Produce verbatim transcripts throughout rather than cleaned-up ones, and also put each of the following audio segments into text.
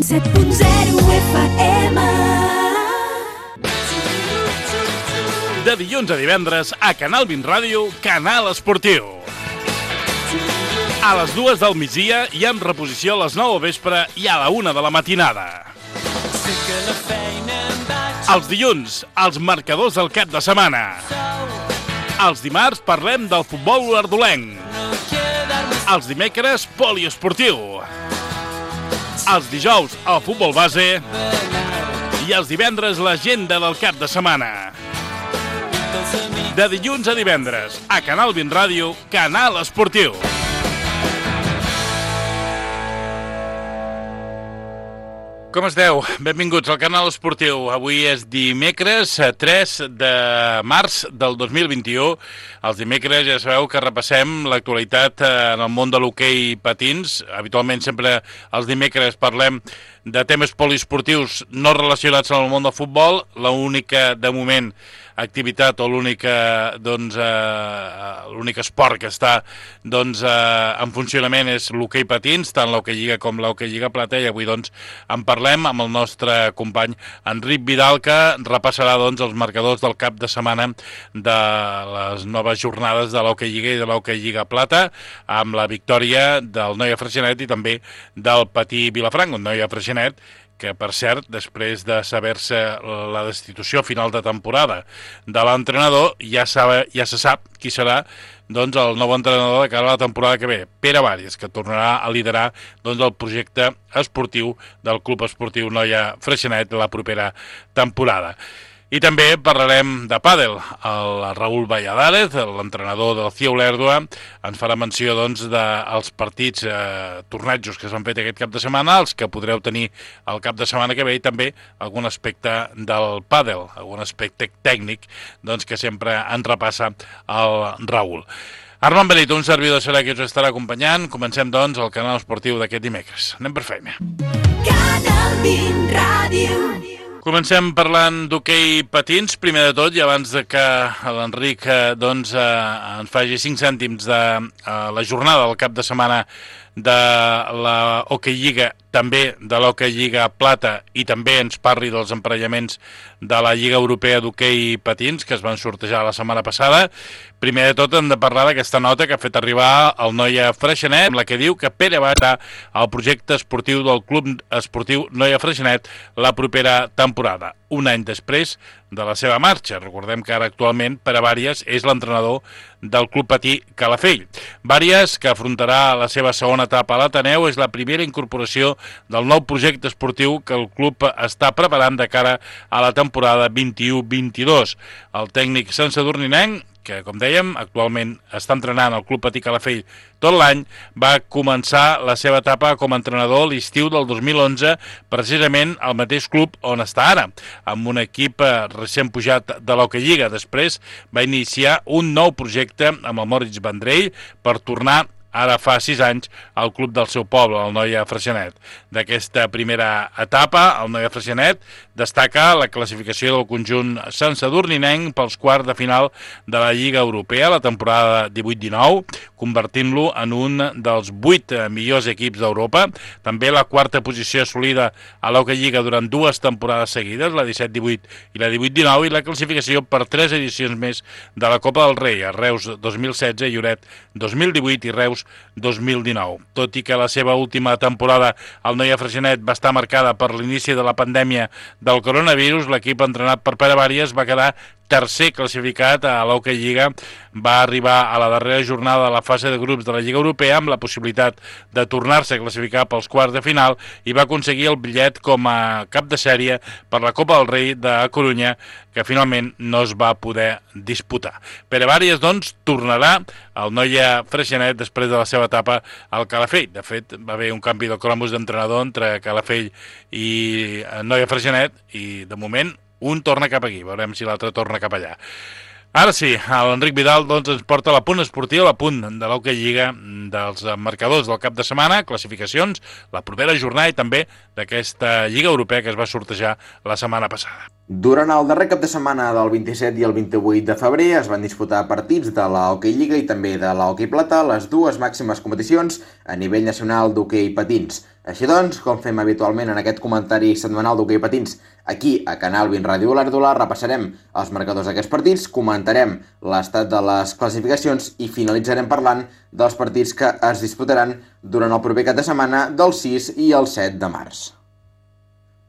set punt zero F M. De dilluns a divendres a Canal vint Ràdio, Canal Esportiu. A les dues del migdia i en reposició a les nou del vespre i a la una de la matinada. Els dilluns, els marcadors del cap de setmana. Els dimarts parlem del futbol olordolenc. Els dimecres, poliesportiu. Els dijous, el futbol base. I els divendres, l'agenda del cap de setmana. De dilluns a divendres, a Canal vint Ràdio, Canal Esportiu. Com esteu? Benvinguts al Canal Esportiu. Avui és dimecres tres de març del dos mil vint-i-u. Els dimecres ja sabeu que repassem l'actualitat en el món de l'hoquei patins. Habitualment sempre els dimecres parlem de temes poliesportius no relacionats amb el món del futbol. L'única, de moment, activitat o l'única doncs, eh, l'únic esport que està doncs, eh, en funcionament és l'hoquei patins, tant l'hoquei lliga com l'hoquei lliga plata, i avui doncs, en parlem amb el nostre company Enric Vidal, que repassarà doncs, els marcadors del cap de setmana de les noves jornades de l'hoquei lliga i de l'hoquei lliga plata, amb la victòria del Noia Freixenet i també del Patí Vilafranca, un Noia Freixenet que, per cert, després de saber-se la destitució final de temporada de l'entrenador, ja, sabe, ja se sap qui serà doncs, el nou entrenador de cara a la temporada que ve, Pere Varies, que tornarà a liderar doncs, el projecte esportiu del Club Esportiu Noia Freixenet la propera temporada. I també parlarem de pàdel. El Raúl Valladares, l'entrenador del C I O Olèrdua, ens farà menció doncs, dels partits, eh, tornejos que s'han fet aquest cap de setmana, els que podreu tenir el cap de setmana que ve, i també algun aspecte del pàdel, algun aspecte tècnic doncs, que sempre ens repassa el Raúl. Armand Benito, un servidor serà qui us estarà acompanyant. Comencem, doncs, el canal esportiu d'aquest dimecres. Anem per feina. Canal vint Ràdio. Comencem parlant d'hoquei patins, primer de tot, i abans de que l'Enric doncs, eh, ens faci cinc cèntims de eh, la jornada del cap de setmana de la Hockey Lliga, també de l'Hockey Lliga Plata, i també ens parli dels emparellaments de la Lliga Europea d'Hockey Patins, que es van sortejar la setmana passada. Primer de tot hem de parlar d'aquesta nota que ha fet arribar el Noia Freixenet, amb la que diu que Pere va estar al projecte esportiu del Club Esportiu Noia Freixenet la propera temporada, un any després de la seva marxa. Recordem que ara actualment Pere Varies és l'entrenador del Club Patí Calafell. Varies, que afrontarà la seva segona etapa a l'Ateneu, és la primera incorporació del nou projecte esportiu que el club està preparant de cara a la temporada vint-i-u vint-i-dos. El tècnic santsadurninenc, que, com dèiem, actualment està entrenant al Club Patí Calafell tot l'any, va començar la seva etapa com a entrenador l'estiu del dos mil onze, precisament al mateix club on està ara, amb un equip recent pujat de l'Hockey Lliga. Després va iniciar un nou projecte amb el Moritz Vendrell per tornar ara fa sis anys al club del seu poble, el Noia Freixenet. D'aquesta primera etapa, el Noia Freixenet destaca la classificació del conjunt santsadurninenc pels quarts de final de la Lliga Europea la temporada divuit dinou, convertint-lo en un dels vuit millors equips d'Europa. També la quarta posició assolida a l'Hockey Lliga durant dues temporades seguides, la disset divuit i la divuit dinou, i la classificació per tres edicions més de la Copa del Rei, a Reus dos mil setze, Lloret dos mil divuit i Reus dos mil dinou. Tot i que la seva última temporada al Noia Freixenet va estar marcada per l'inici de la pandèmia del coronavirus, l'equip entrenat per Pere Varies va quedar tercer classificat a l'Hockey Lliga. Va arribar a la darrera jornada de la fase de grups de la Lliga Europea amb la possibilitat de tornar-se a classificar pels quarts de final i va aconseguir el bitllet com a cap de sèrie per la Copa del Rei de Corunya, que finalment no es va poder disputar. Pere Varies, doncs, tornarà al Noia Freixenet després de la seva etapa al Calafell. De fet, va haver un canvi de cromos d'entrenador entre Calafell i Noia Freixenet i, de moment, un torna cap aquí, veurem si l'altre torna cap allà. Ara sí, l'Enric Vidal doncs, ens porta l'apunt esportiu, l'apunt de l'Hockey Lliga, dels marcadors del cap de setmana, classificacions, la propera jornada i també d'aquesta Lliga Europea que es va sortejar la setmana passada. Durant el darrer cap de setmana del vint-i-set i el vint-i-vuit de febrer es van disputar partits de la Hockey Lliga i també de la Hockey Plata, les dues màximes competicions a nivell nacional d'hoquei patins. Així doncs, com fem habitualment en aquest comentari setmanal d'hoquei patins, aquí a Canal vint Ràdio Olèrdola repassarem els marcadors d'aquests partits, comentarem l'estat de les classificacions i finalitzarem parlant dels partits que es disputaran durant el proper cap de setmana del sis i el set de març.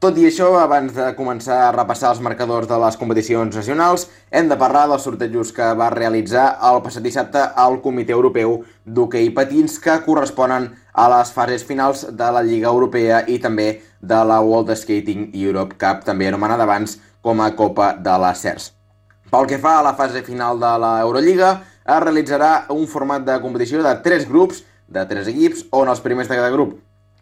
Tot i això, abans de començar a repassar els marcadors de les competicions nacionals, hem de parlar dels sortejos que va realitzar el passat dissabte el Comitè Europeu d'Hoquei Patins que corresponen a les fases finals de la Lliga Europea i també de la World Skating Europe Cup, també anomenada abans com a Copa de les C E R S. Pel que fa a la fase final de la Eurolliga, es realitzarà un format de competició de tres grups, de tres equips, on els primers de cada grup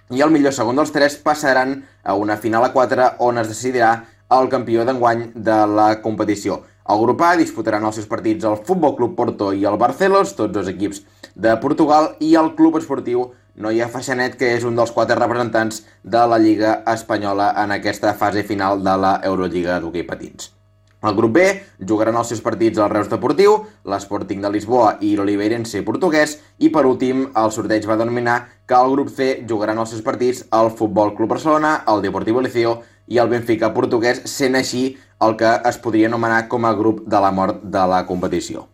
i el millor segon dels tres passaran a una final a quatre on es decidirà el campió d'enguany de la competició. El grup A disputaran els seus partits el Futbol Club Porto i el Barcelos, tots dos equips de Portugal, i el Club Esportiu Noia Freixenet, que és un dels quatre representants de la Lliga Espanyola en aquesta fase final de la Eurolliga d'hoquei patins. El grup B jugaran els seus partits el Reus Deportiu, l'Sporting de Lisboa i l'Oliveirense portuguès i per últim el sorteig va denominar que el grup C jugaran els seus partits el Futbol Club Barcelona, el Deportivo Liceo i el Benfica portuguès, sent així el que es podria anomenar com a grup de la mort de la competició.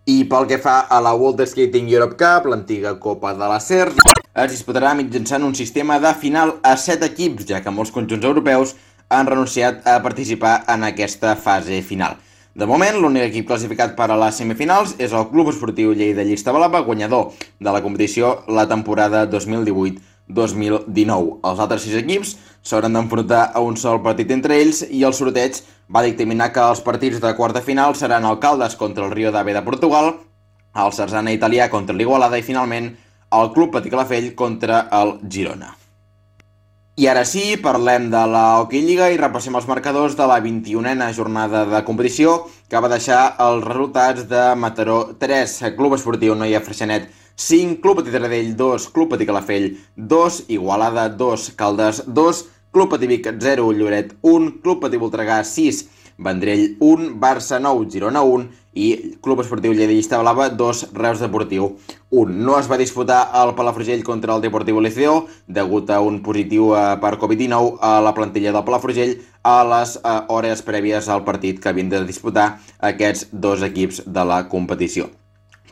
I pel que fa a la World Skating Europe Cup, l'antiga Copa de la C E R S, es disputarà mitjançant un sistema de final a set equips, ja que molts conjunts europeus han renunciat a participar en aquesta fase final. De moment, l'únic equip classificat per a les semifinals és el Club Esportiu Lleida Llista Blava, guanyador de la competició la temporada dos mil divuit dos mil dinou. Els altres sis equips s'hauran d'enfrontar a un sol partit entre ells i el sorteig va dictaminar que els partits de quarta final seran el Caldas contra el Rio d'Ave de Portugal, el Sarzana italià contra l'Igualada i finalment el Club Patí Calafell contra el Girona. I ara sí, parlem de la Hockey Lliga i repassem els marcadors de la vint-i-unena jornada de competició que va deixar els resultats de Mataró tres, Club Esportiu Noia Freixenet cinc, Club Patí Taradell dos, Club Patí Calafell dos, Igualada dos, Caldes dos, Club Patí Vic zero, Lloret un, Club Patí Voltregà sis, Vendrell un, Barça nou, Girona un i Club Esportiu Lleida Llista Blava dos, Reus Deportiu un. No es va disputar el Palafrugell contra el Deportivo Liceo degut a un positiu per covid dinou a la plantilla del Palafrugell a les hores prèvies al partit que havien de disputar aquests dos equips de la competició.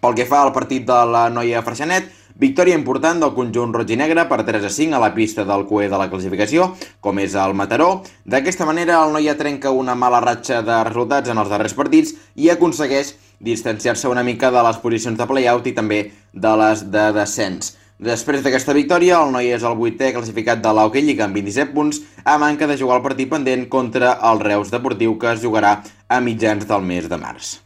Pel que fa al partit de la Noia Freixenet, victòria important del conjunt roig i negre per tres a cinc a la pista del cué de la classificació, com és el Mataró. D'aquesta manera, el Noia trenca una mala ratxa de resultats en els darrers partits i aconsegueix distanciar-se una mica de les posicions de play-out i també de les de descens. Després d'aquesta victòria, el Noia és el vuitè classificat de la Hockey Lliga amb vint-i-set punts, a manca de jugar el partit pendent contra el Reus Deportiu, que es jugarà a mitjans del mes de març.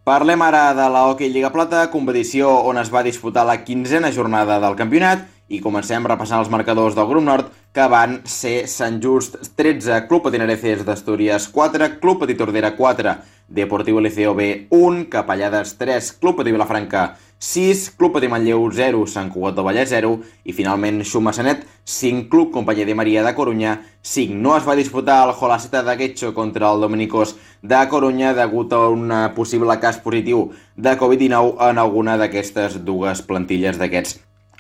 Parlem ara de la Hockey Lliga Plata, competició on es va disputar la quinzena jornada del campionat i comencem repassant els marcadors del grup nord que van ser Sant Just tretze, Club Patí Areces d'Astúries quatre, Club Patí Tordera quatre, Deportivo Liceo B un, Capellades tres, Club Patí Vilafranca sis, Club Patí Manlleu zero, Sant Cugat del Vallès zero i finalment Xumassanet cinc, Club Companyia de Maria de Corunya cinc. No es va disputar el Jolaceta de Guetxo contra el Dominicós de Corunya degut a un possible cas positiu de covid dinou en alguna d'aquestes dues plantilles d'aquests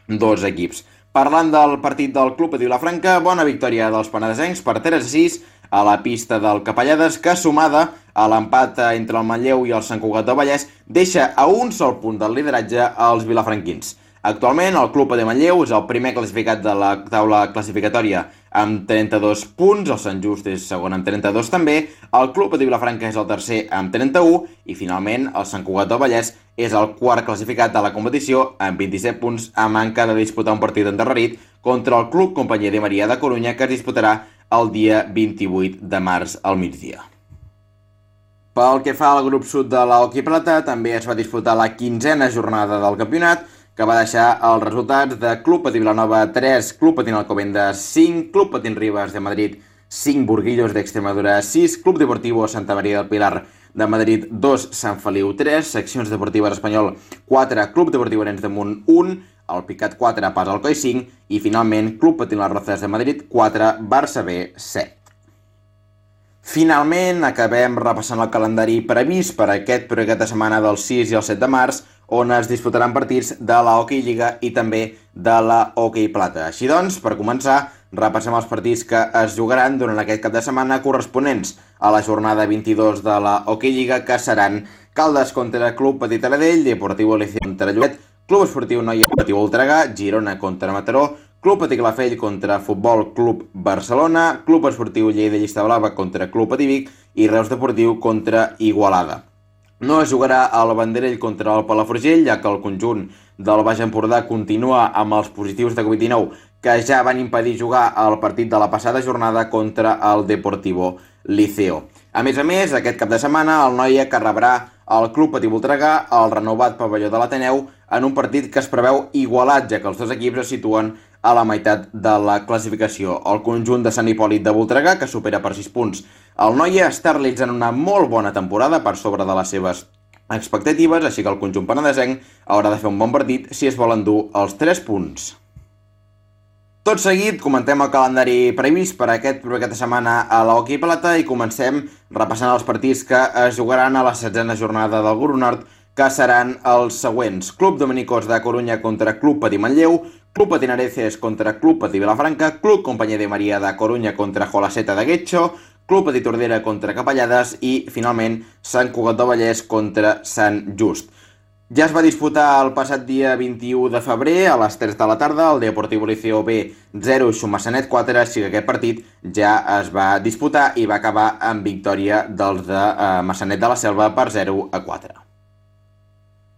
dos equips. Parlant del partit del Club Patí Vilafranca, bona victòria dels penedesencs per tres a sis a la pista del Capellades, que sumada a l'empat entre el Manlleu i el Sant Cugat del Vallès deixa a un sol punt del lideratge als vilafranquins. Actualment, el Club de Manlleu és el primer classificat de la taula classificatòria amb trenta-dos punts, el Sant Just és segon amb trenta-dos també, el Club de Vilafranca és el tercer amb trenta-u i finalment el Sant Cugat del Vallès és el quart classificat de la competició amb vint-i-set punts a manca de disputar un partit endarrerit contra el Club Companyia de Maria de Corunya que es disputarà el dia vint-i-vuit de març al migdia. Pel que fa al grup sud de la Hockey Plata, també es va disputar la quinzena jornada del campionat, que va deixar els resultats de Club Patí Vilanova tres, Club Patí Alcobendas cinc, Club Patí Rivas de Madrid cinc, Burguillos d'Extremadura sis, Club Deportivo Santa Maria del Pilar de Madrid dos, Sant Feliu tres, Seccions Deportives Espanyol quatre, Club Deportiu Arenys de Munt un, el Picat quatre, Pas Alcoi cinc i finalment Club Patí Las Rozas de Madrid quatre, Barça B set. Finalment, acabem repassant el calendari previst per aquest per aquesta setmana del sis i el set de març, on es disputaran partits de la Hockey Lliga i també de la Hockey Plata. Així doncs, per començar, repassem els partits que es jugaran durant aquest cap de setmana corresponents a la jornada vint-i-dos de la Hockey Lliga, que seran Caldes contra Club Petit Taradell, Deportivo Liceo contra Lloret, Club Esportiu Noia Deportiu Voltregà, Girona contra Mataró, Club Patí Calafell contra Futbol Club Barcelona, Club Esportiu Lleida Llista Blava contra Club Patí Vic i Reus Deportiu contra Igualada. No es jugarà el Banderell contra el Palafrugell, ja que el conjunt del Baix Empordà continua amb els positius de covid dinou que ja van impedir jugar el partit de la passada jornada contra el Deportivo Liceo. A més a més, aquest cap de setmana el Noia que rebrà el Club Patí Voltregà al renovat pavelló de l'Ateneu en un partit que es preveu igualat, ja que els dos equips es situen a la meitat de la classificació. El conjunt de Sant Hipòlit de Voltregà, que supera per sis punts el Noia, està realitzant una molt bona temporada per sobre de les seves expectatives, així que el conjunt penedesenc haurà de fer un bon partit si es volen dur els tres punts. Tot seguit, comentem el calendari previst per aquest per aquesta setmana a la Hockey Plata i comencem repassant els partits que es jugaran a la setzena jornada del Grup Nord, que seran els següents. Club Dominicós de Corunya contra Club Patí Manlleu, Club Patí Nareces contra Club Patí Vilafranca, Club Companyia de Maria de Corunya contra Jolaceta de Guetxo, Club Patí Tordera contra Capellades i, finalment, Sant Cugat del Vallès contra Sant Just. Ja es va disputar el passat dia vint-i-u de febrer a les tres de la tarda el Deportivo Liceo B zero Xumassanet quatre, així que aquest partit ja es va disputar i va acabar amb victòria dels de eh, Massanet de la Selva per zero a quatre.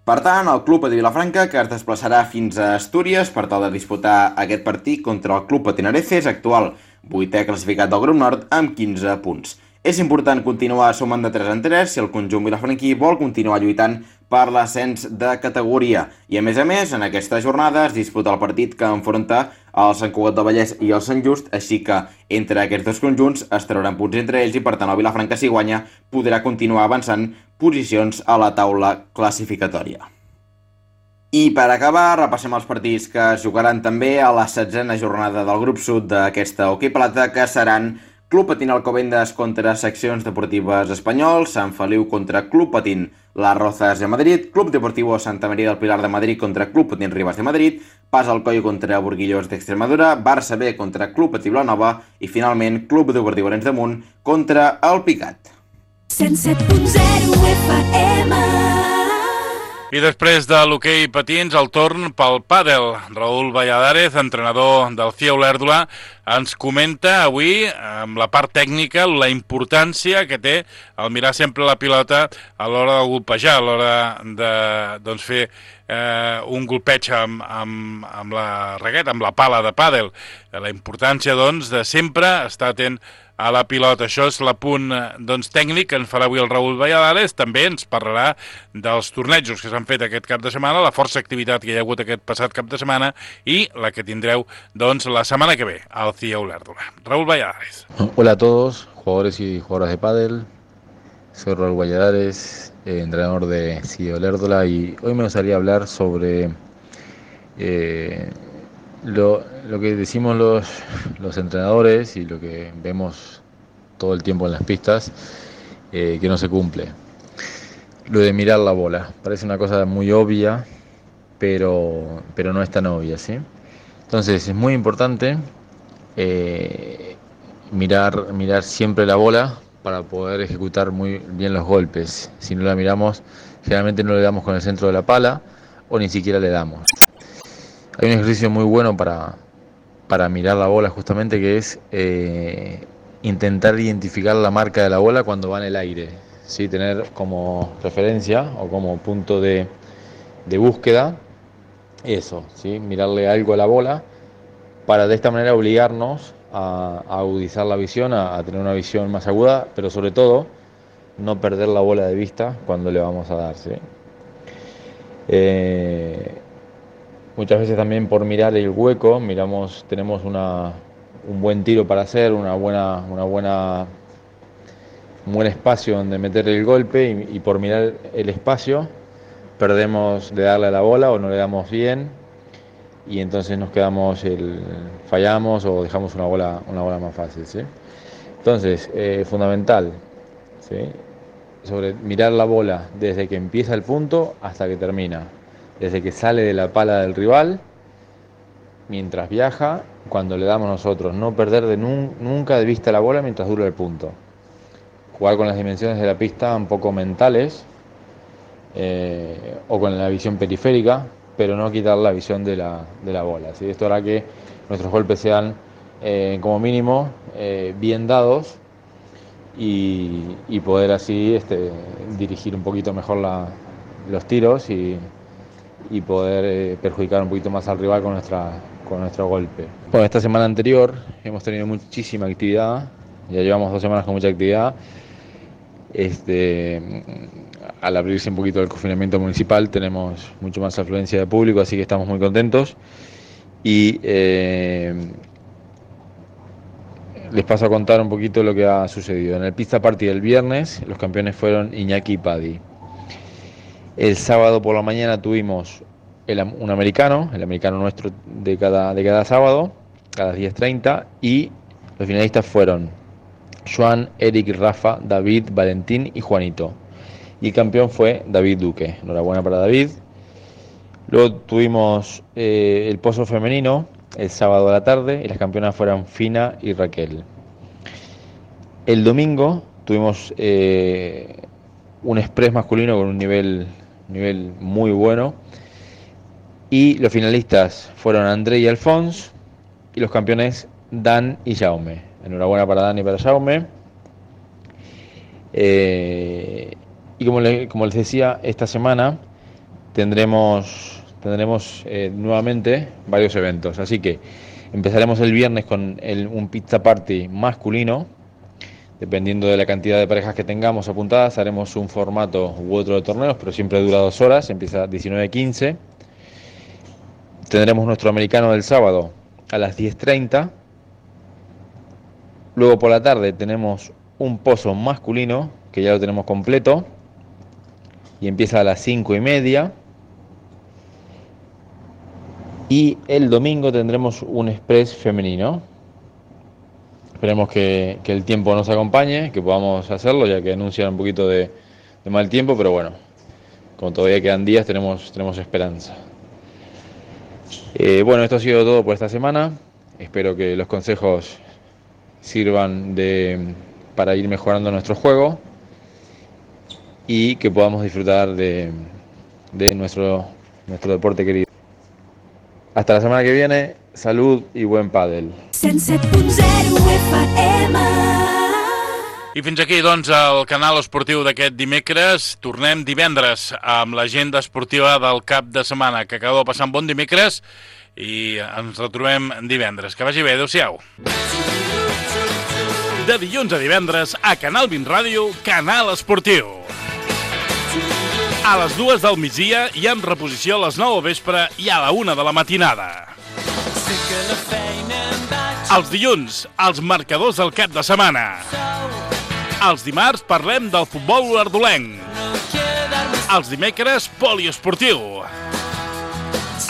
Per tant, el Club Patí Vilafranca, que es desplaçarà fins a Astúries per tal de disputar aquest partit contra el Club Patí Nareces, actual vuitè classificat del Grup Nord, amb quinze punts. És important continuar sumant de tres en tres si el conjunt vilafranquí vol continuar lluitant per l'ascens de categoria. I a més a més, en aquesta jornada es disputa el partit que enfronta el Sant Cugat del Vallès i el Sant Just, així que entre aquests dos conjunts es trauran punts entre ells i per tant el Vilafranca, si guanya, podrà continuar avançant posicions a la taula classificatòria. I per acabar, repassem els partits que es jugaran també a la setzena jornada del grup sud d'aquesta Hockey Plata, que seran Club Patín Alcobendas contra Seccions Deportives Espanyol, Sant Feliu contra Club Patín Las Rozas de Madrid, Club Deportivo Santa María del Pilar de Madrid contra Club Patín Rivas de Madrid, Pas Alcoy contra Burguillós d'Extremadura, Barça B contra Club Patí Vilanova i finalment Club Deportiu Arenys de Munt contra el Picat. cent set punt zero F M. I després de l'hoquei patins, el torn pel pàdel. Raúl Valladares, entrenador del C I A Olèrdola, ens comenta avui, amb la part tècnica, la importància que té el mirar sempre la pilota a l'hora de golpejar, a l'hora de doncs, fer eh, un golpeig amb, amb, amb la raqueta, amb la pala de pàdel. La importància, doncs, de sempre estar atent a la pilota. Això és l'apunt doncs, tècnic que ens farà avui el Raúl Valladares. També ens parlarà dels tornejos que s'han fet aquest cap de setmana, la força activitat que hi ha hagut aquest passat cap de setmana i la que tindreu doncs, la setmana que ve al C I A Olèrdola. Raúl Valladares. Hola a todos, jugadores y jugadoras de pádel. Soy Raúl Valladares, eh, entrenador de C I A Olèrdola, y hoy me gustaría hablar sobre eh, Lo, lo que decimos los, los entrenadores y lo que vemos todo el tiempo en las pistas, eh, que no se cumple. Lo de mirar la bola. Parece una cosa muy obvia, pero, pero no es tan obvia, ¿sí? Entonces es muy importante eh, mirar, mirar siempre la bola para poder ejecutar muy bien los golpes. Si no la miramos, generalmente no le damos con el centro de la pala o ni siquiera le damos. Hay un ejercicio muy bueno para, para mirar la bola justamente, que es eh, intentar identificar la marca de la bola cuando va en el aire, ¿sí? Tener como referencia o como punto de, de búsqueda eso, ¿sí? Mirarle algo a la bola para de esta manera obligarnos a, a agudizar la visión, a, a tener una visión más aguda, pero sobre todo no perder la bola de vista cuando le vamos a dar, ¿sí? Eh, Muchas veces también por mirar el hueco, miramos, tenemos una, un buen tiro para hacer, una buena, una buena, un buen espacio donde meter el golpe y, y por mirar el espacio perdemos de darle a la bola o no le damos bien y entonces nos quedamos, el, fallamos o dejamos una bola, una bola más fácil, ¿sí? Entonces, eh, fundamental, ¿sí? Sobre mirar la bola desde que empieza el punto hasta que termina, desde que sale de la pala del rival, mientras viaja, cuando le damos nosotros, no perder de nun- nunca de vista la bola mientras dura el punto. Jugar con las dimensiones de la pista un poco mentales, eh, o con la visión periférica, pero no quitar la visión de la, de la bola, ¿sí? Esto hará que nuestros golpes sean, eh, como mínimo, eh, bien dados, y, y poder así este, dirigir un poquito mejor la, los tiros y, y poder eh, perjudicar un poquito más al rival con, nuestra, con nuestro golpe. Bueno, esta semana anterior hemos tenido muchísima actividad, ya llevamos dos semanas con mucha actividad. Este, al abrirse un poquito el confinamiento municipal tenemos mucho más afluencia de público, así que estamos muy contentos. Y eh, les paso a contar un poquito lo que ha sucedido. En el Pizza Party del viernes, los campeones fueron Iñaki y Paddy. El sábado por la mañana tuvimos el, un americano, el americano nuestro de cada, de cada sábado, a las diez treinta, y los finalistas fueron Joan, Eric, Rafa, David, Valentín y Juanito. Y el campeón fue David Duque. Enhorabuena para David. Luego tuvimos eh, el pozo femenino el sábado a la tarde, y las campeonas fueron Fina y Raquel. El domingo tuvimos eh, un express masculino con un nivel, nivel muy bueno, y los finalistas fueron André y Alfons, y los campeones Dan y Jaume. Enhorabuena para Dan y para Jaume. Eh, y como, le, como les decía, esta semana tendremos... Tendremos eh, nuevamente varios eventos, así que empezaremos el viernes con el, un pizza party masculino. Dependiendo de la cantidad de parejas que tengamos apuntadas, haremos un formato u otro de torneos, pero siempre dura dos horas, empieza a diecinueve quince. Tendremos nuestro americano del sábado a las diez treinta. Luego por la tarde tenemos un pozo masculino, que ya lo tenemos completo, y empieza a las cinco y media. Y el domingo tendremos un express femenino. Esperemos que, que el tiempo nos acompañe, que podamos hacerlo, ya que anuncian un poquito de, de mal tiempo, pero bueno, como todavía quedan días, tenemos, tenemos esperanza. Eh, bueno, esto ha sido todo por esta semana. Espero que los consejos sirvan de, para ir mejorando nuestro juego y que podamos disfrutar de, de nuestro, nuestro deporte querido. Hasta la semana que viene, salud i buen pàdel. cent set punt zero F M. I fins aquí, doncs, el canal esportiu d'aquest dimecres. Tornem divendres amb l'agenda esportiva del cap de setmana. Que acabeu passant bon dimecres i ens retrobem divendres. Que vagi bé, adeu-siau. De dilluns a divendres, a Canal vint Ràdio, Canal Esportiu. A les dues del migdia i amb reposició a les nou del vespre i a la una de la matinada. Els dilluns, els marcadors del cap de setmana. Els dimarts parlem del futbol olordolenc. Els dimecres, poliesportiu.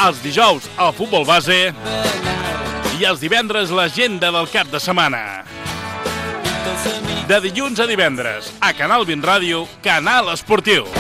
Els dijous, el futbol base. I els divendres, l'agenda del cap de setmana. De dilluns a divendres, a Canal vint Ràdio, Canal Esportiu.